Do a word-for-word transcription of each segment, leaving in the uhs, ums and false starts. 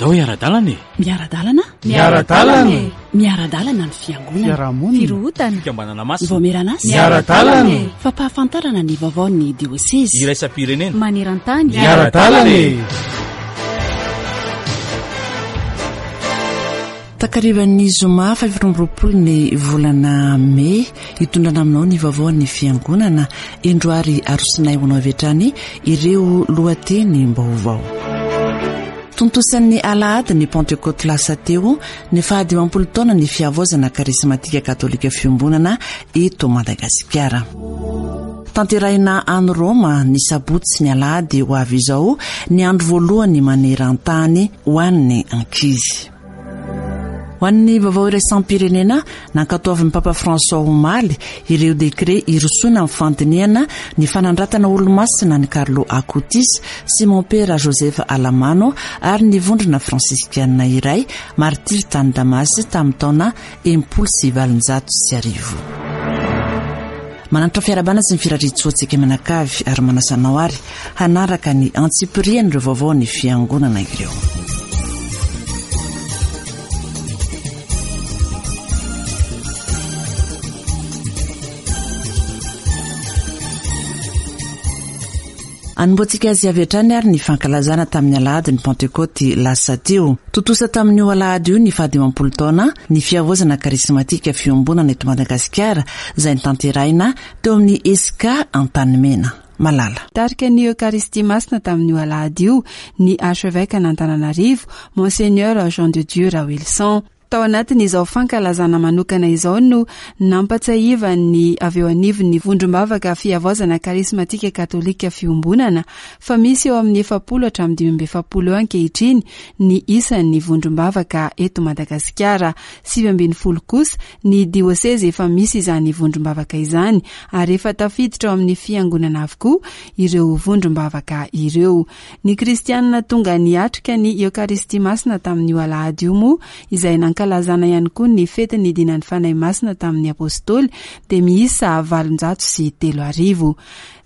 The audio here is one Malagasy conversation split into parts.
Andao hiara-dalana e! Miara-dalana? Miara-dalana e! Miara-dalana ny fiangonana. Fiarahamonina. Firohotana. Fikambanana masina. Vaomieran'asa. Miara-dalana e! Fampahafantarana ny vaovaon'ny diosezy. Iraisam-pirenena. Maneran-tany. Miara-dalana e! Takarivan'ny zoma faha amby roapolo ny volana mey, hitondrana aminao ny vaovaon'ny fiangonana. Indro ary arosinay ho anao avy hatrany ireo lohatenim-baovao. Tontosan'ny alahady ny Pentekoty lasa teo ny fahadimampolo taona ny fihavaozana karismatika katolika fiombonana eto Madagasikara. Tanterahina any Roma ny sabotsy sy ny alahady ho avy izao ny andro voalohany maneran-tany ho an'ny ankizy. Ho an'ny vaovao iraisam-pirenena, nankatoavin'ny Papa François omaly ireo dekret hirosoana amin'ny fandinihana ny fanandratana olomasina an'i Carlo Acutis sy Mompera Joseph Alamano ary ny vondrona fransiskana iray martiry tany Damasy tamin'ny taona enimpolo sy valonjato sy arivo. Mananatra fiarahabana sy ny firariantsoantsika mianakavy ary manasa anao ary hanaraka ny antsipirian'ireo vaovao ny fiangonana ireo. Anombohantsika azy avy hatrany ary ny fankalazana tamin'ny alahady ny Pentekoty lasa teo. Tontosa tamin'io alahady io ny fahadimampolo taona ny fihavaozana karismatika fiombonana eto Madagasikara izay notanterahina teo amin'ny Esca Antanimena. Malala. Tarika ny Eucharistie Masina tamin'io alahady io ny archevêque an'Antananarivo, Monseigneur Jean de Dieu Raoelison. Tao anatin'izao fankalazana manokana izao no nampatsiahivan'ny avy eo anivon'ny vondrom-bavaka fihavaozana karismatika katolika fiombonana fa misy eo amin'ny efapolo hatramin'ny dimy amby efapolo eo ankehitriny ny isan'ny vondrom-bavaka eto Madagasikara. Sivy ambin'ny folo kosa ny diosezy efa misy izany vondrom-bavaka izany ary efa tafiditra ao amin'ny fiangonana avokoa ireo vondrom-bavaka ireo. Ny kristianina tonga niatrika ny Eucharistie Masina tamin'io alahady io moa izay nankalazana ihany koa ny fetin'ny dinan'ny Fanahy Masina tamin'ny Apôstôly dia miisa valonjato sy telo arivo.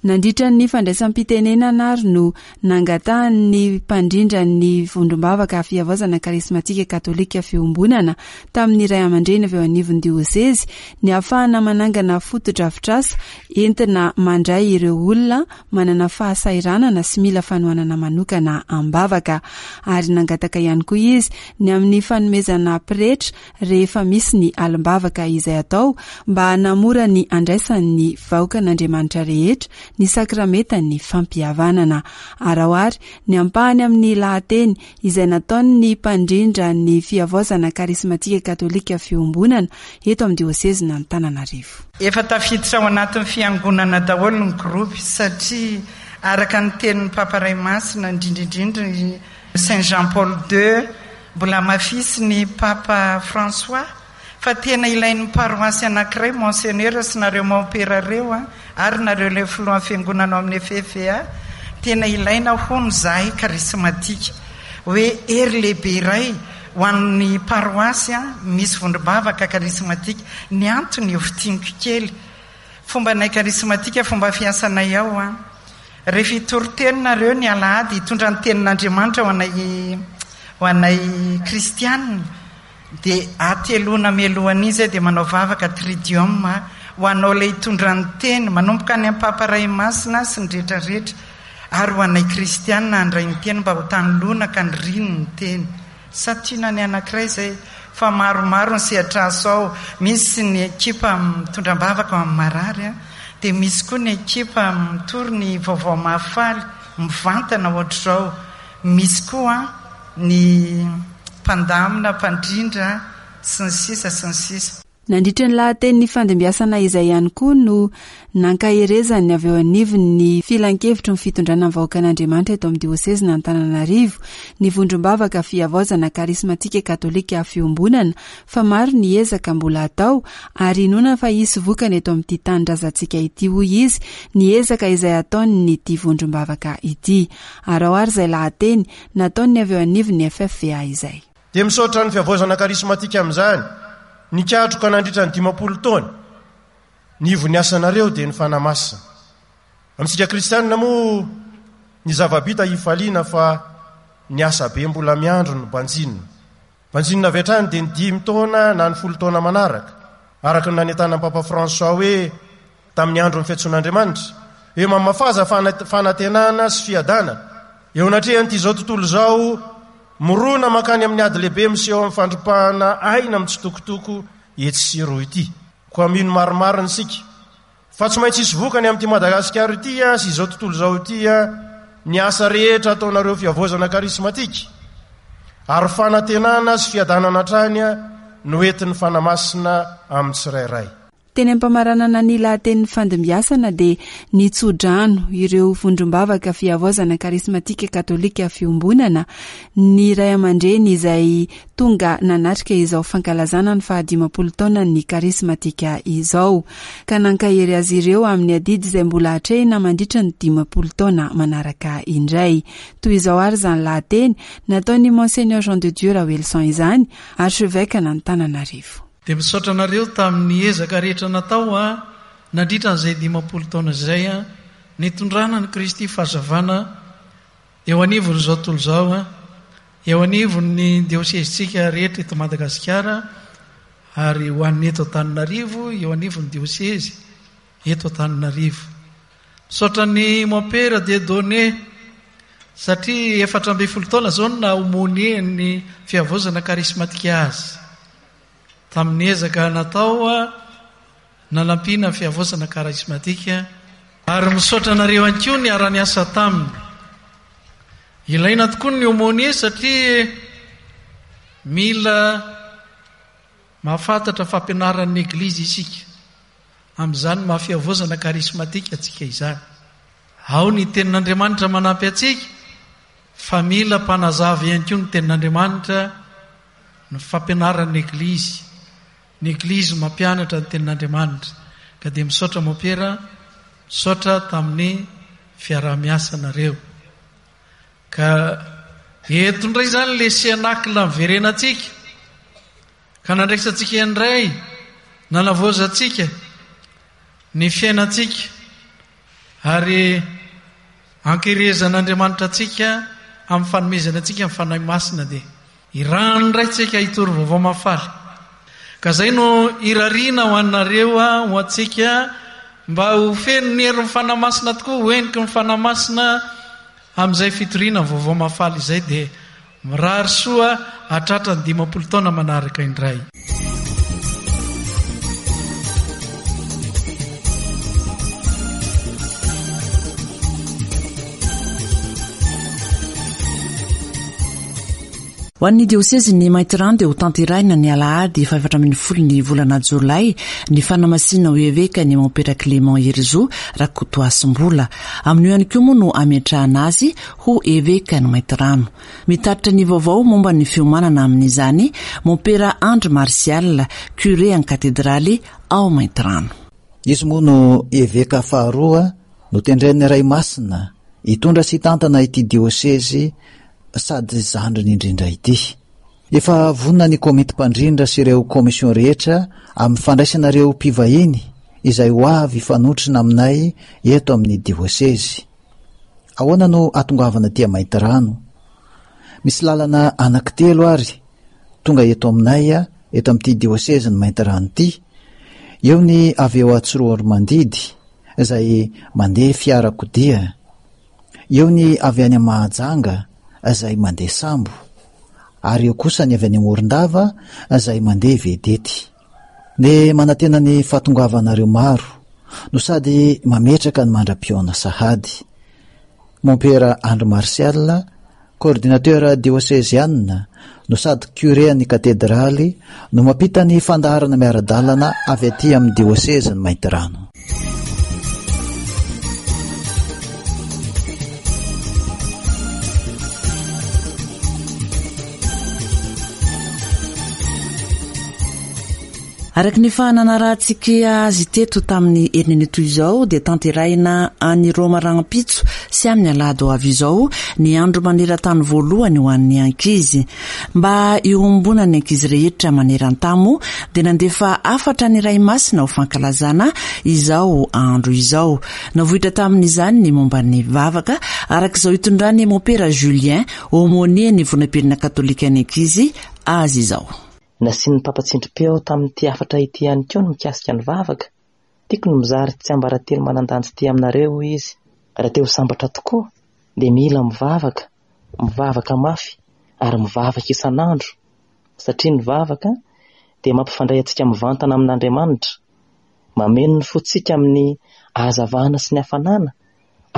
Nandritra ny fandraisam-pitenenana ary no nangatahan'ny mpandrindra ny vondrom-bavaka fihavaozana karismatika katolika fiombonana tamin'ny ray aman-dreny avy eo anivon'ny diosezy ny ahafahana manangana fotodrafitrasa entina mandray ireo olona manana fahasahiranana sy mila fanohanana manokana am-bavaka. Ary nangataka ihany koa izy ny amin'ny fanomezana pretra rehefa misy ny alim-bavaka izay atao mba hanamora ny andraisan'ny vahoakan'Andriamanitra rehetra ny sakramentan'ny fampihavanana. Araho ary ny ampahany amin'ny lahateny izay nataon'ny mpandrindra ny fihavaozana karismatika katolika fiombonana eto amin'ny diosezin'Antananarivo. Efa tafiditra ao anatin'ny fiangonana daholo ny groupe satria araka ny tenin'ny Papa Ray Masina indrindra indrindra ny Saint Jean Paul deux mbola mafisy ny Papa François fa tena ilain'ny paroasy anankiray Monseigneur sy nareo mompera reo a ary nareo ilay filohan'ny fiangonana ao amin'ny F F A tena ilaina hono zahay karismatika hoe hery lehibe iray ho an'ny paroasy a misy vondrom-bavaka karismatika. Ny antony io fitiniko kely fomba nay karismatika fomba fiasanay ao a rehefa hitory teny nareo ny alahady hitondra ny tenin'Andriamanitra ho anay ho anay kristianina dia ateloana mialohan'izy dia manao vavaka tridium ho anao ilay hitondra ny teny manomboka any amin'ny Papa Ray Masina sy ny rehetrarehetra ary ho anay kristianina handray ny teny mba ho tanoloana ka ny riny ny teny. Satria ny anankiray izay fa maromaro ny sehatr'asa ao, misy ny ekipa mitondra am-bavaka ao amin'ny marary a, dia misy koa ny ekipa mitory ny vaovao mahafaly mivantana ohatr'izao, misy koa ny mpandamina, mpandrindra sy ny sisa sy ny sisa. Nandritra ny lahatenin'ny fandimbiasana izay ihany koa no nankaherezany avy eo anivon'ny filankevitry ny fitondrana ny vahoakan'Andriamanitra eto amin'ny diosezin'Antananarivo ny vondrom-bavaka fihavaozana karismatika katolika fiombonana fa maro ny ezaka mbola atao ary inoana fa hisy vokany eto amin'ity tanindrazantsika ity hoy izy ny ezaka izay ataon'ny ity vondrom-bavaka ity. Araho ary izay lahateny nataon'ny avy eo anivon'ny F F V A izay. Dia misaotra ny fihavaozana karismatika amin'izany. Nikatroka nandritra ny dimampolo taona. Ny ivon'ny asanareo dia ny Fanahy Masina. Amintsika kristianina moa ny zava-bita hifaliana fa ny asa be mbola miandry no banjinina. Banjinina avy hatrany dia ny dimy taona na ny folo taona manaraka. Araka ny nanentanan'ny Papa François hoe tamin'ny andron'ny fiantsoan'Andriamanitra, hoe mamafaza fanantenana sy fiadanana eo anatrehan'ity izao tontolo izao mirona mankany amin'ny ady lehibe miseho amin'ny fandripahana aina mitsitokotoko etsy sy eroa ity. Koa mino marimarina isika fa tsy maintsy hisy vokany amin'ity Madagasikara ity sy izao tontolo izao ity ny asa rehetra ataonareo fihavaozana karismatika, ary fanantenana sy fiadanana hatrany no entin'ny Fanahy Masina amin'ny tsirairay. Teny am-pamaranana ny lahatenin'ny fandimbiasana dia nitsodrano ireo vondrom-bavaka fihavaozana karismatika katolika fiombonana ny ray aman-dreny izay tonga nanatrika izao fankalazana ny fahadimampolo taonan'ny karismatika izao, ka nankahery azy ireo amin'ny adidy izay mbola atrehina mandritra ny dimampolo taona manaraka indray. Toy izao ary izany lahateny nataon'ny Monseigneur Jean de Dieu Raoelison izany, archevêque an'Antananarivo. Dia misaotra anareo tamin'ny ezaka rehetra natao a nandritra an'izay dimampolo taona izay a nitondrana ny Kristy fahazavana eo anivon'izao tontolo izao a eo anivon'ny diosezintsika rehetra eto Madagasikara ary ho an'ny eto Antananarivo, eo anivon'ny diosezy eto Antananarivo. Misaotra ny Mompera Dieudonné satria efatra ambin'ny folo taona izao no naha-aumônier ny fihavaozana karismatika azy. Tamin'ny ezaka natao nanampiana ny fihavaozana karismatika, ary misaotra anareo ihany koa niara-niasa taminy. Ilaina tokoa ny aumônier satria mila mahafantatra fampianaran'ny Eglizy isika. Amin'izany maha fihavaozana karismatika antsika izany. Ao ny tenin'Andriamanitra manampy antsika, fa mila mpanazava ihany koa ny tenin'Andriamanitra, ny fampianaran'ny Eglizy. Ny Eglizy mampianatra ny tenin'Andriamanitra. Ka dia misaotra Mompera, misaotra tamin'ny fiaraha-miasanareo. Ka eto indray izany le senacle miverenantsika, ka nandraisantsika indray, nanavaozantsika ny fiainantsika, ary ankerezan'Andriamanitra antsika amin'ny fanomezana antsika ny Fanahy Masina dia irahany indray tsika hitory vaovao mahafaly. Ka izay no irariana ho anareo, ho antsika, mba ho feno ny herin'ny Fanahy Masina tokoa, ho heniky ny Fanahy Masina amin'izay fitoriana vaovao mahafaly izay, dia mirary soa hatratra ny dimampolo taona manaraka indray. Ho an'ny diosezin'ny Maintirano dia ho tanterahina ny alahady fahaefatra ambin'ny folo ny volana jolay ny fanamasinana ho eveka ny Mompera Clément Herizo Rakotoasimbola. Amin'io ihany koa moa no ametrahana azy ho eveka ny Maintirano. Mitatitra ny vaovao momba ny fiomanana amin'izany Mompera Andry Martial, curé en katedraly ao Maintirano. Izy moa no eveka faharoa notendren'ny Ray Masina hitondra sy hitantana ity diosezy sady zandriny indrindra ity. Efa vonona ny komity mpandrindra sy ireo komision rehetra amin'ny fandraisana ireo mpivahiny izay ho avy hifanotrona aminay eto amin'ny diosezy. Ahoana no atongavana aty Maintirano? Misy lalana anankitelo ary tonga eto aminay, eto amin'ity diosezy ny Maintirano ity. Eo ny avy eo Antsiroanomandidy izay mandeha fiarakodia. Eo ny avy any Mahajanga izay mandeha sambo, ary eo kosa ny avy any Morondava izay mandeha vedety. Ny manantena ny fahatongavanareo maro no sady mametraka ny mandra-pihaona sahady. Mompera Andry Martial, coordinateur dioseziana no sady curé an'ny katedraly, no mampita ny fandaharana miara-dalana avy aty amin'ny diosezin'ny Maintirano. Araka ny efa nanarahantsika azy teto tamin'ny herinandro toy izao dia tanterahina any Roma rahampitso sy amin'ny alahady ho avy izao ny andro maneran-tany voalohany ho an'ny ankizy. Mba iombonan'ny ankizy rehetra maneran-tany moa dia nandefa hafatra ny Ray Masina ho fankalazana izao andro izao. Navoitra tamin'izany ny momba ny vavaka araka izao hitondran'ny Mompera Julien, aumônier ny Vondrom-pirenena katolika ny ankizy azy izao. Nasian'ny Papa tsindrim-peo tamin'ity hafatra ity ihany koa ny mikasika ny vavaka. Tiako ny mizara tsiambaratelo manan-danja ity aminareo, hoy izy. Raha te ho sambatra tokoa dia mila mivavaka, mivavaka mafy ary mivavaka isan'andro, satria ny vavaka dia mampifandray antsika mivantana amin'Andriamanitra, mameno ny fontsika amin'ny hazavana sy ny hafanana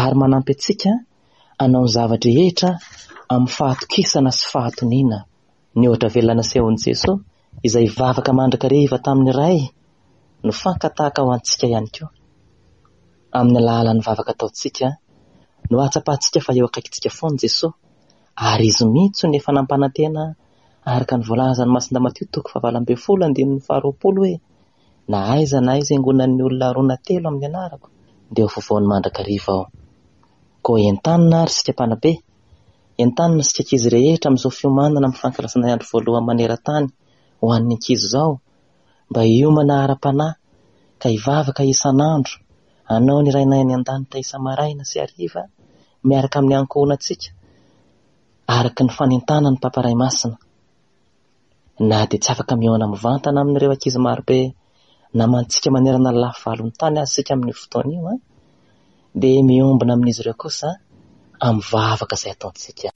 ary manampy antsika hanao ny zava-drehetra amin'ny fahatokisana sy fahatoniana. Ny ohatra velona nasehon'i Jesoa izay vavaka mandrakariva tamin'ny Ray no fankatahaka ho antsika ihany koa. Amin'ny alalan'ny vavaka ataontsika no ahatsapantsika fa eo akaikintsika foana Jesoa, ary Izy mihitsy no efa nampanantena araka ny voalazan'ny Masindahy Matio toko fahavalo ambin'ny folo andininy faharoapolo hoe: na aiza na aiza iangonan'ny olona roa na telo amin'ny anarako dia ho afovoany mandrakariva aho. Koa entanina ary isika mpanabe, entanina isika ankizy rehetra amin'izao fiomanana amin'ny fankalazana ny andro voalohany maneran-tany ho an'ny ankizy izao, mba hiomana ara-panahy ka hivavaka isan'andro, hanao ny Rainay any an-danitra isa-maraina sy hariva miaraka amin'ny ankohonantsika araka ny fanentanan'ny Papa Ray Masina. Na dia tsy afaka mihaona mivantana amin'ireo ankizy marobe namantsika manerana ny lafy valon'ny tany aza isika amin'io fotoana io, an, dia miombona amin'izy ireo kosa amin'ny vavaka izay ataontsika.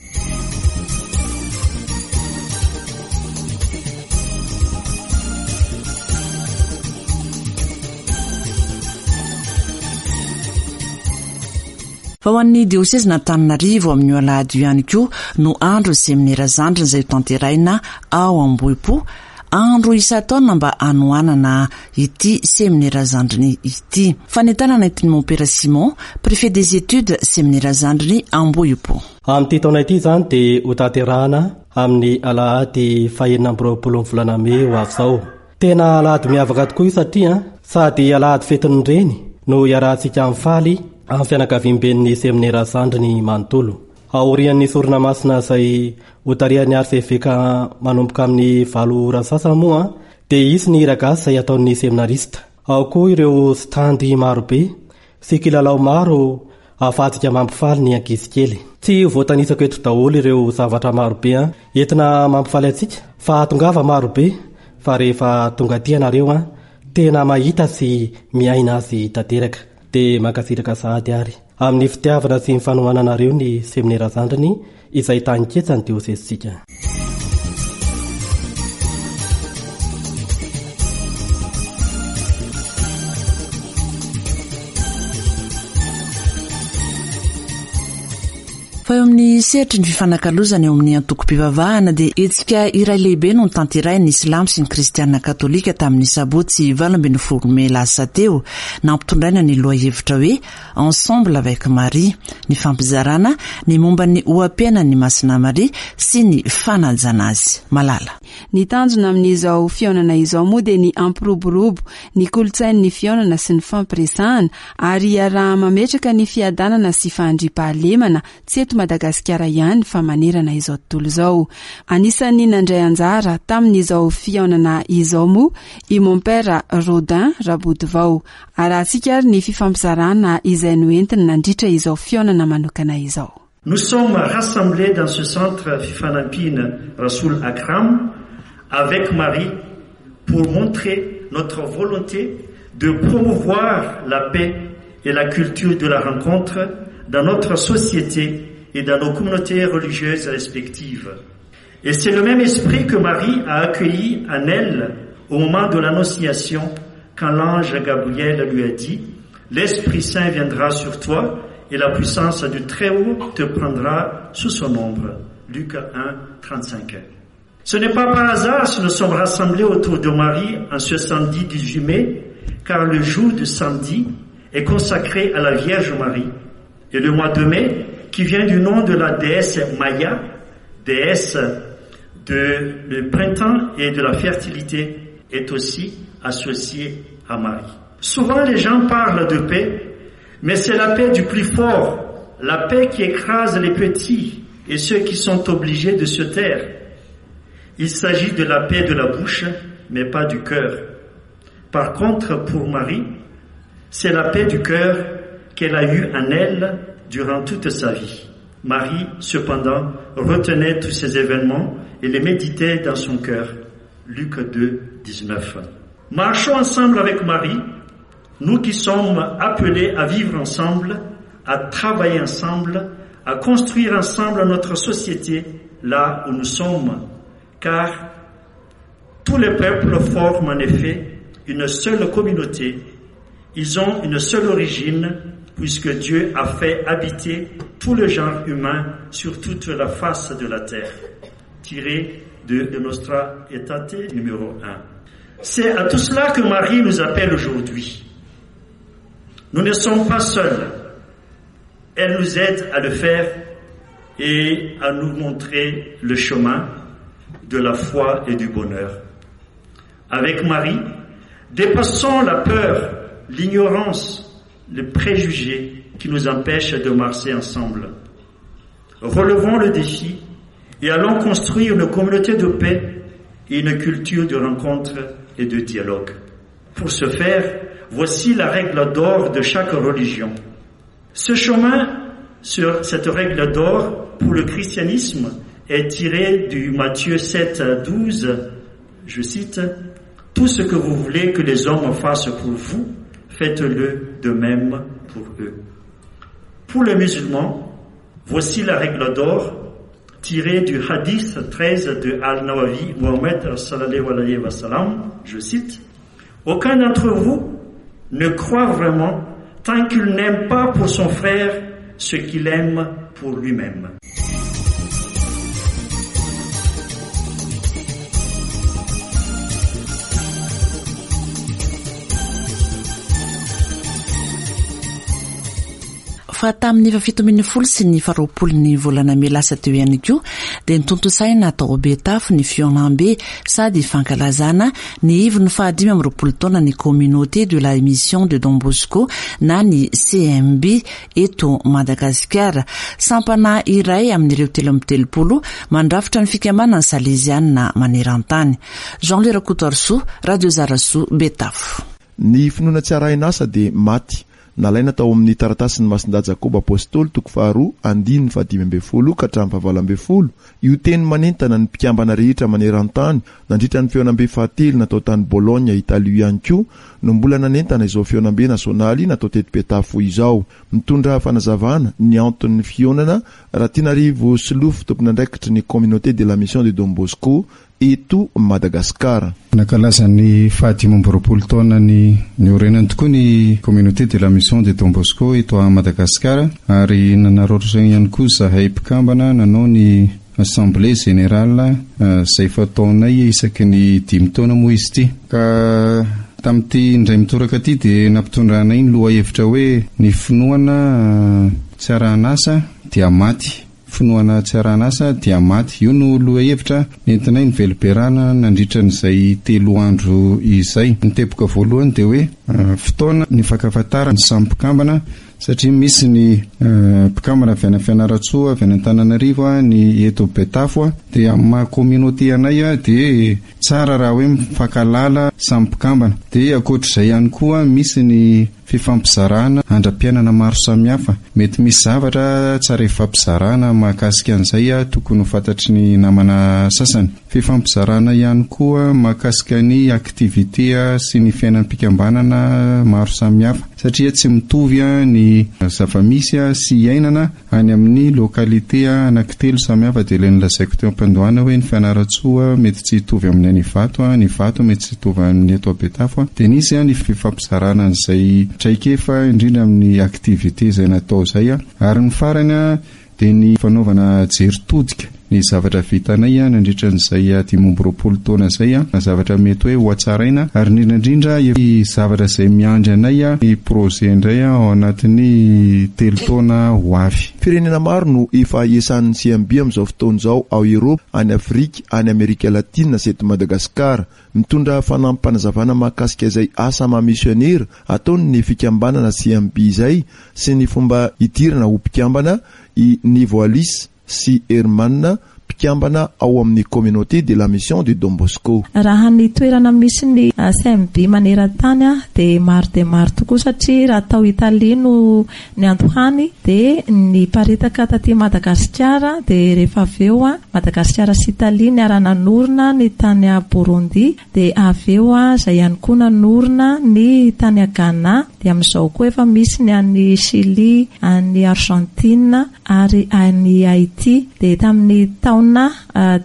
Fa ho an'ny diosezin'Antananarivo amin'io alahady io ihany koa no andro seminera zandriny izay hotanterahina ao Ambohipo, andro isan-taona mba hanohanana ity seminera zandriny ity. Fanentanana entin'ny Mompera Simon, préfet des études seminera zandriny Ambohipo. Amin'ity taona ity izany dia hotanterahana amin'ny alahady fahenina amby roapolo ny volana mey ho avy izao. Tena alahady miavaka tokoa io satria sady alahady fetin'ny reny no iarahantsika mifaly amin'ny fianakaviamben'ny seminera zandriny manontolo. Aorian'ny sorona masina izay hotarihan'ny arseveka manomboka amin'ny valo ora sasany moa dia hisy ny hira gasy izay ataon'ny seminarista. Ao koa ireo standy marobe sy kilalao maro ahafahantsika mampifaly ny ankizy kely. Tsy voatanisako eto daholo ireo zavatra marobe entina mampifaly antsika fa tongava marobe, fa rehefa tonga aty ianareo an, tena mahita sy miaina azy tanteraka. Dia mankasitraka sahady ary amin'ny fitiavana sy ny fanohananareo ny seminera zandriny izay tany-ketsa ny diosezintsika. Fa eo amin'ny sehatry ny fifanakalozana eo amin'ny antokom-pivavahana dia hetsika iray lehibe no notanterahin'ny Silamo sy ny Kristiana Katolika tamin'ny sabotsy valo ambin'ny folo mey lasa teo, nampitondraina ny lohahevitra hoe Ensemble avec Marie, ny fampizarana ny momba ny oha-piainan'ny Masina Maria sy ny fanajana azy. Malala. Ny tanjona amin'izao fihaonana izao moa dia ny hampiroborobo ny kolontsain'ny fihaonana sy ny fampiresahana ary hiaraha-mametraka ny fiadanana sy fandriampahalemana tsy eto Madagasikara ihany fa manerana izao tontolo izao. Anisan'ny nandray anjara tamin'izao fihaonana izao moa i Mompera Rodin Rabodovao. Arahantsika ary ny fifampizarana izay noentiny nandritra izao fihaonana manokana izao. Nous sommes rassemblés dans ce centre Fifanampiana Rasoul Akram avec Marie pour montrer notre volonté de promouvoir la paix et la culture de la rencontre dans notre société et dans nos communautés religieuses respectives. Et c'est le même esprit que Marie a accueilli en elle au moment de l'Annonciation, quand l'ange Gabriel lui a dit « L'Esprit Saint viendra sur toi et la puissance du Très-Haut te prendra sous son ombre. » Luc un, trente-cinq. Ce n'est pas par hasard si nous sommes rassemblés autour de Marie en ce samedi dix-huit mai, car le jour du samedi est consacré à la Vierge Marie. Et le mois de mai, qui vient du nom de la déesse Maya, déesse de le printemps et de la fertilité, est aussi associée à Marie. Souvent les gens parlent de paix, mais c'est la paix du plus fort, la paix qui écrase les petits et ceux qui sont obligés de se taire. Il s'agit de la paix de la bouche, mais pas du cœur. Par contre, pour Marie, c'est la paix du cœur qu'elle a eue en elle durant toute sa vie. Marie, cependant, retenait tous ces événements et les méditait dans son cœur. Luc deux, dix-neuf. Marchons ensemble avec Marie, nous qui sommes appelés à vivre ensemble, à travailler ensemble, à construire ensemble notre société là où nous sommes, car tous les peuples forment en effet une seule communauté. Ils ont une seule origine, puisque Dieu a fait habiter tout le genre humain sur toute la face de la terre. Tiré de, de Nostra Aetate numéro un. C'est à tout cela que Marie nous appelle aujourd'hui. Nous ne sommes pas seuls. Elle nous aide à le faire et à nous montrer le chemin de la foi et du bonheur. Avec Marie, dépassons la peur, l'ignorance, les préjugés qui nous empêchent de marcher ensemble. Relevons le défi et allons construire une communauté de paix et une culture de rencontre et de dialogue. Pour ce faire, voici la règle d'or de chaque religion. Ce chemin, sur cette règle d'or pour le christianisme, est tiré du Matthieu sept à douze, je cite, « Tout ce que vous voulez que les hommes fassent pour vous, faites-le de même pour eux. » Pour les musulmans, voici la règle d'or tirée du hadith treize de Al-Nawawi, Muhammad sallallahu alayhi wa sallam, je cite, « Aucun d'entre vous ne croit vraiment tant qu'il n'aime pas pour son frère ce qu'il aime pour lui-même. » Fa tamin'ny fahafito ambin'ny folo sy ny faharoapolo ny volana mey lasa teo ihany koa dia nitontosaina tao Betafo ny fihaonambe sady fankalazana ny ivon'ny fahadimy amby roapolo taona ny Communauté de la Mission de Don Bosco na ny C M B eto Madagasikara. Sampana iray amin'ireo telo amby telopolo mandrafitra ny fikambanana salezianina maneran-tany. Jean-Louis Rakotoarisoa, Radio Zarasoa, Betafo. Ny finoana tsy arahin'asa dia maty. Nalaina tao amin'ny taratasin'ny Masindahy Jakoba Apôstôly toko faharoa andininy fahadimy ambin'ny folo ka hatramin'ny fahavalo ambin'ny folo. Io teny manentana ny mpikambana rehetra maneran-tany nandritra ny fihaonambe fahatelo natao tany Bologna, Italia ihany koa no mbola nanentana izao fihaonambe nasionaly natao teto Betafo izao. Mitondra fanazavana ny anton'ny fihaonana Ratinarivo Solofo, tompon'andraikitry ny Communauté de la Mission de Don Bosco eto Madagasikara. Nankalaza ny fahadimy amby roapolo taona ny niorenany tokoa ny Communauté de la Mission de Don Bosco eto Madagasikara ary nanararaotra ihany koa zahay mpikambana nanao ny Assemblée Générale izay fataonay isaky ny dimy taona moa izy ity. Ka tamin'ity indray mitoraka ity dia nampitondranay ny lohahevitra hoe ny finoana tsy arahin'asa dia maty. Finoana tsy arahin'asa dia maty. Io no lohahevitra nentinay ny velomberana nandritra an'izay telo andro izay. Ny teboka voalohany dia hoe fotoana ny fankafantarana ny samy mpikambana satria misy ny mpikambana avy any Fianarantsoa, avy any Antananarivo, ny eto Betafo, dia amin'ny maha communauté anay dia tsara raha hoe mifankalala samy mpikambana. Dia ankoatr'izay ihany koa misy ny fifampizarana andram-piainana maro samihafa. Mety misy zavatra tsara ifampizarana mahakasika an'izay tokony ho fantatry ny namana sasany. Fifampizarana ihany koa mahakasika ny activité sy ny fiainam-pikambanana maro samihafa satria tsy mitovy ny zava-misy sy iainana any amin'ny localité anankitelo samihafa. Dia ilay nolazaiko teo am-piandohana hoe ny Fianarantsoa mety tsy hitovy amin'ny any Ivato, ny Ivato mety tsy hitovy amin'ny eto Betafo. Dia nisy ny fifampizarana an'izay traikefa indrindra amin'ny activité izay natao izay. Ary ny farany dia ny fanaovana jery todika ny zavatra vitanay nandritra an'izay dimy amby roapolo taona izay, zavatra mety hoe ho hatsaraina, ary indrindra indrindra ny zavatra izay miandry anay, ny projet indray ao anatin'ny telo taona ho avy. Firenena maro no efa iasan'ny C M B amin'izao fotoana izao ao Eoropa, any Afrika, any Amerika Latina sy eto Madagasikara. Mitondra fanampim-panazavana mahakasika izay asa maha misionera ataon'ny fikambanana C M B izay sy ny fomba hidirana ho mpikambana i Nivo Alice sy Herman, mpikambana ao amin'ny communauté de la mission de Don Bosco. Raha ny toerana misy ny C M B maneran-tany a, dia maro dia maro tokoa, satria raha tao Italia no niandohany dia niparitaka taty Madagasikara, dia rehefa avy eo a, Madagasikara sy Italia niara-nanorina ny tany a Burundi, dia avy eo a, izay ihany koa nanorina ny tany a Ghana, dia amin'izao koa efa misy ny any Chili, any Argentine ary any Haiti. Dia tamin'ny taona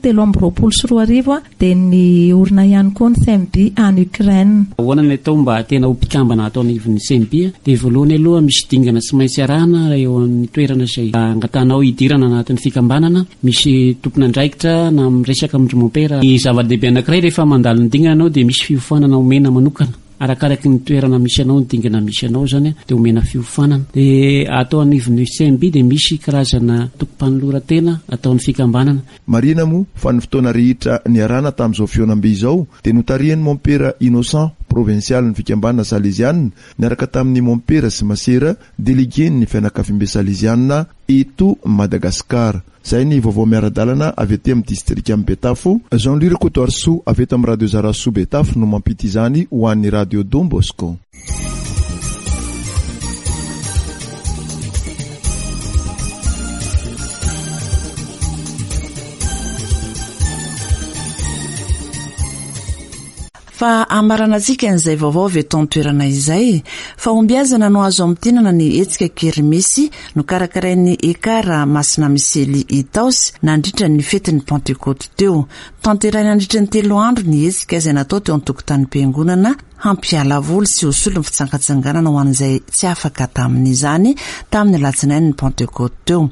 telo amby roapolo sy roa arivo a, dia niorina ihany koa ny C M B any Ukraine. Ahoana ny atao mba tena ho mpikambana atao anivon'ny C M B? Dia voalohany aloha misy dingana tsy maintsy arahana eo amin'ny toerana izay angatanao hidirana anatin'ny fikambanana. Misy tompon'andraikitra na miresaka amin-dry mompera. Ny zava-dehibe anankiray rehefa mandalo ny dingana anao dia misy fiofanana omena manokana. Arakaraky ny toerana misy anao, ny dingana misy anao zany a, dia omena fiofanana. Dia atao anivon'ny C M B dia misy karazana tokom-panoloran-tena ataon'ny fikambanana. Marihina moa fa ny fotoana rehetra niarahana tamin'izao fihaonambe izao dia notarihan'ny mompera Innocent, provincial ny fikambanana Salesiana, niaraka tamin'ny mompera sy masera délégué-n'ny fianakaviambe Salesiana eto Madagasikara. Izay ny vaovao miara-dalana avy aty amin'ny distrika Betafo. Jean-Louis Rakotoarisoa avy eto amin'ny Radio Zarasoa Betafo no mampita izany ho an'ny Radio Don Bosco. Fa amaranantsika an'izay vaovao avy eto an-toerana izay. Fahombiazana no azo amintinana ny hetsika kermesy nokarakarain'ny Ekara Masina Misely Itaosy nandritra ny fetin'ny Pentekoty teo. Tanterahina nandritra ny telo andro ny hetsika izay natao teo an-tokotanim-piangonana hampiala voly sy ho solon'ny fitsangatsanganana ho an'izay tsy afaka tamin'izany tamin'ny alatsinain'ny Pentekoty teo.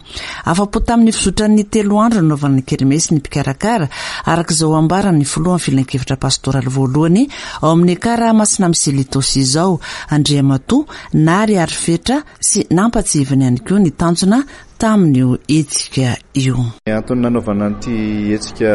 Afa-po tamin'ny fizotran'ny telo andro nanaovana ny kermesy ny mpikarakara, araka izao ambaran'ny filohan'ny filankevitra pastoraly voalohany ao amin'ny Ekara Masina Misely Itaosy izao, Andriamatoa Nary Arifetra, sy nampatsiahiviny ihany koa ny tanjona tamin'io hetsika io. Ny antony nanaovana an'ity hetsika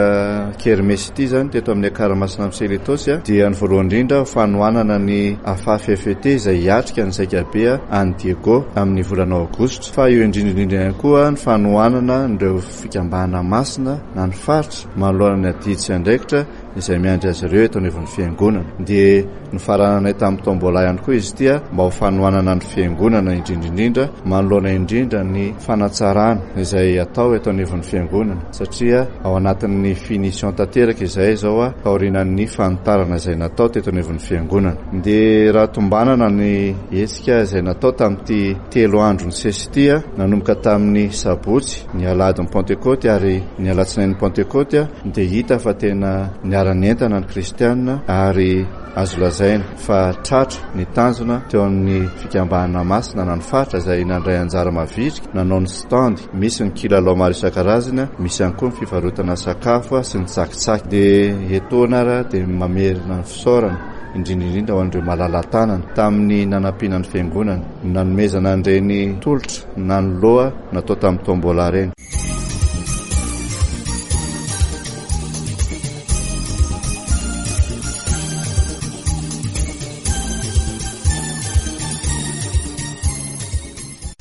kermesy ity zany teto amin'ny Ekara Masina Misely Itaosy a, dia ny voalohany indrindra fanohanana ny A F A F F E T izay hiatrika ny zaikabe any Diego amin'ny volana aogositra, fa eo indrindra indrindra ihany koa ny fanohanana ireo fikambanana masina na ny faritra manoloana ny adidy sy andraikitra izay miandry azy ireo eto anivon'ny fiangonana. Dia nofarananay tamin'ny tombola ihany koa izy ity a, mba ho fanohanana ny fiangonana indrindra indrindra manoloana indrindra ny fanatsarana izay atao eto anivon'ny fiangonana, satria ao anatin'ny finition tanteraka izay izao a, taorian'ny fanitarana izay natao teto anivon'ny fiangonana. Dia raha tombanana ny hetsika izay natao tamin'ity telo andro nisesy ity a, nanomboka tamin'ny sabotsy, ny alahadin'ny Pentekoty ary ny alatsinain'ny Pentekoty a, dia hita fa tena niara-nientana ny kristianina ary azo lazaina fa tratra ny tanjona teo amin'ny fikambanana masina na ny faritra izay nandray anjara mavitrika, nanao ny stand, misy ny kilalao maro isan-karazany, misy ihany koa ny fivarotana sakafo sy ny tsakitsaky. Dia etoana ary dia mamerina ny fisaorana indrindra indrindra ho an'ireo malala-tanana tamin'ny nanampiana ny fiangonana, nanomezana an'ireny tolotra nanoloa natao tamin'ny tombola ireny.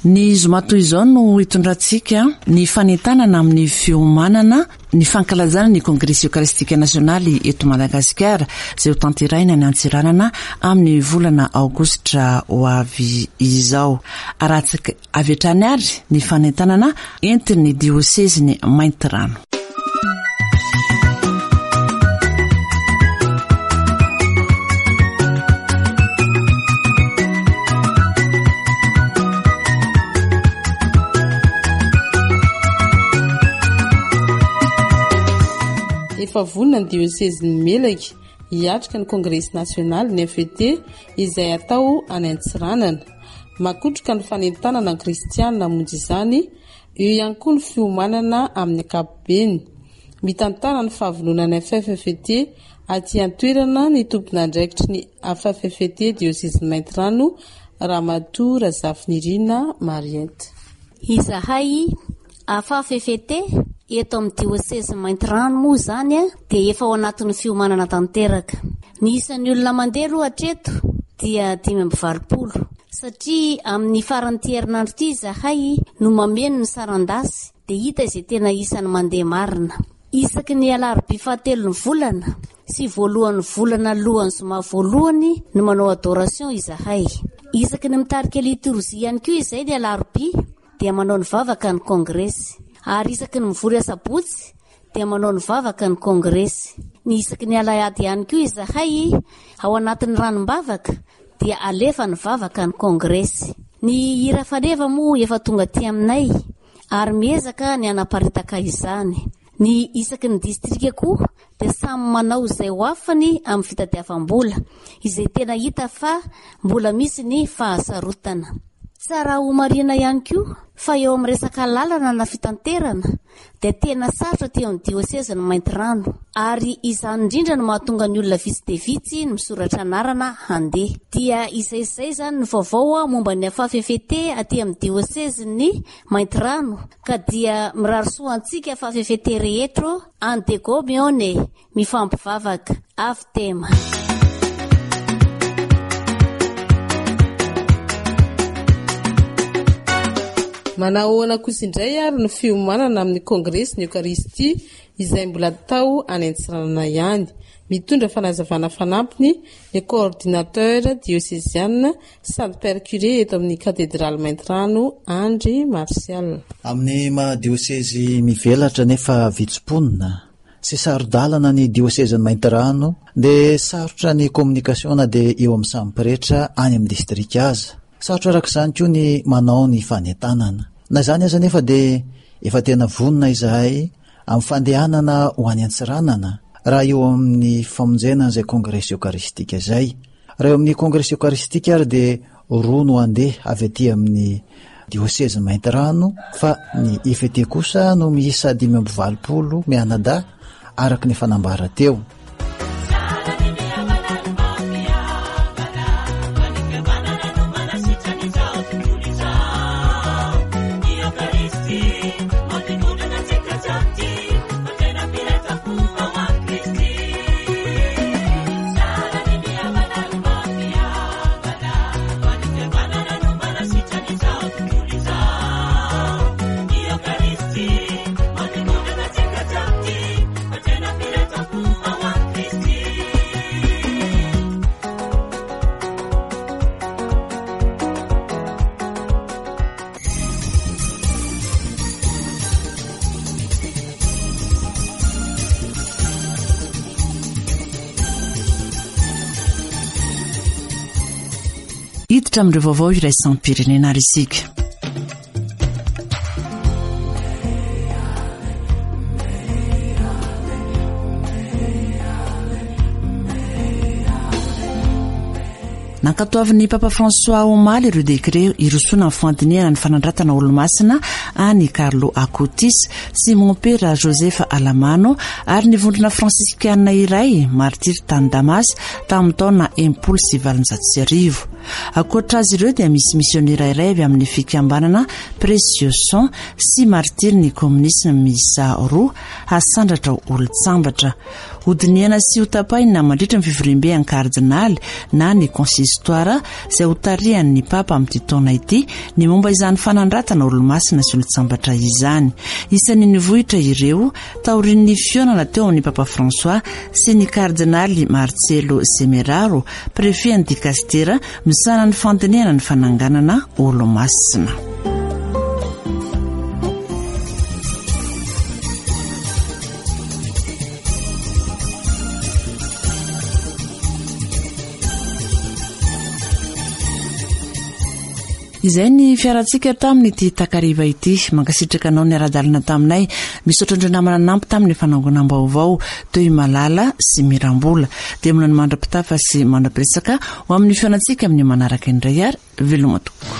Ny zoma toy izao no hitondrantsika ny fanentanana amin'ny fiomanana ny fankalazana ny Kongresy Eokaristika Nasionaly eto Madagasikara izay ho tanterahina ny Antsiranana amin'ny volana aogositra ho avy izao. Arahantsika avy hatrany ary ny fanentanana entin'ny diosezin'ny Maintirano. Efa vonona ny diosezin'ny Melaky hiatrika ny Kongresy nasionaly ny F E T izay atao any Antsiranana. Makotroka ny fanentanana ny kristianina hamonjy izany Eo ihany koa ny fiomanana amin'ny ankapobeny. Mitantara ny fahavononan'ny F F F T aty an-toerana ny tompon'andraikitry ny F F F T diosezin'i Maintirano, Ramatoa Razafinirina Mariette. Izahay F F F T eto amin'ny diosezy Maintirano moa izany a dia efa ao anatin'ny fiomanana tanteraka. Ny isan'ny olona mandeha aloha hatreto dia dimy amby valopolo, satria amin'ny faran'ity herinandro ity izahay no mameno ny saran-dasy, dia hita izay tena isan'ny mandeha marina. Isaky ny alarobia fahatelon'ny volana sy voalohan'ny volana alohan'ny zoma voalohany no manao adoration izahay. Isaky ny mitarika litorzie ihany koa izay ny alarobia dia manao ny vavaka ny kongresy, ary isaky ny mivory asabotsy dia manao ny vavaka ny kongresy. Ny isaky ny alahady ihany koa izahay ao anatin'ny ranombavaka dia alefa ny vavaka ny kongresy. Ny hira faneva moa efa tonga aty aminay ary miezaka ny anaparitaka izany. Ny isaky ny distrika koa dia samy manao izay ho afany amin'ny fitadiavam-bola, izay tena hita fa mbola misy ny fahasarotana. Tsara ho marihina ihany koa fa eo amin'ny resaka lalana na fitanterana dia tena sarotra aty amin'ny diosezin'i Maintirano, ary izany indrindra no mahatonga ny olona vitsy dia vitsy ny misoratra anarana handeha. Dia izay izay izany ny vaovao momba ny F F F T aty amin'ny diosezin'ny Maintirano, ka dia mirary soa antsika F F F T rehetra any Diego mihaona e, mifampivavaka avy tema. Manahoana kosa indray ary ny fiomanana amin'ny kongresy ny Eokaristia izay mbola atao any Antsiranana ihany? Mitondra fanazavana fanampiny ny coordinateur diocésain sady père curé eto amin'ny katedraly Maintirano, Andry Martial. Amin'ny maha diosezy mivelatra nefa vitsy mponina sy saro-dalana ny diosezin'ny Maintirano, dia sarotra ny communication na dia eo amin'ny samy pretra any amin'ny distrika aza. Sarotra araka izany koa ny manao ny fanentanana. Na izany aza nefa dia efa tena vonona izahay amin'ny fandehanana ho any Antsiranana raha eo amin'ny famonjena an'izay kongresy eokaristika izay. Raha eo amin'ny kongresy eokaristika ary dia roa no andeha avy aty amin'ny diosezy Maintirano, fa ny F T kosa no miisa dimy amby valopolo mianadahy araka ny fanambara teo. Hiditra amin'ireo vaovao iraisam-pirenena ary isika. Nankatoavin'ny Papa François omaly ireo décret irosoana ny fandinihana ny fanandratana olomasina any Carlo Acutis sy mompera Joseph Alamano ary ny vondrona fransiskana iray martiry tany Damas tamin'ny taona enimpolo sy valonjato sy arivo. Ankoatra azy ireo dia misy misionera iray avy amin'ny fikambanana Précieux Sang sy martiry ny kominisma miisa roa hasandratra olon-tsambatra. Hodinihana sy hotapahina mandritra ny fivoriambe an'ny kardinaly na ny consistoire izay hotarihan'ny papa amin'ity taona ity ny momba izany fanandratana olomasina sy olon-tsambatra izany. Isan'ny nivohitra ireo taorian'ny fihaonana teo amin'ny Papa François sy ny kardinaly Marcello Semeraro, préfet ny dikastera misahana ny fandinihana ny fananganana olomasina. Izay ny fiarantsika tamin'ity takariva ity. Mankasitraka anao ny ara-dalana taminay. Misaotra andreo namana nampy tamin'ny fanangonam-baovao toy Malala sy Mirambola. Dia mona ny mandra-pitafa sy mandra-piresaka ho amin'ny fihaonantsika amin'ny manaraka indray ary veloma tompoko.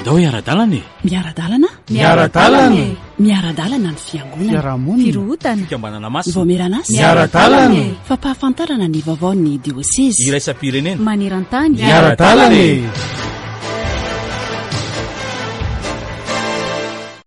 Ndao hiara-dalana e! Miara-dalana? Miara-dalana e! Miara-dalana ny fiangonana. Fiarahamonina. Firohotana. Fikambanana masina. Vaomieran'asa. Miara-dalana e! Fampahafantarana ny vaovaon'ny diosezy. Iraisam-pirenena. Maneran-tany. Miara-dalana e!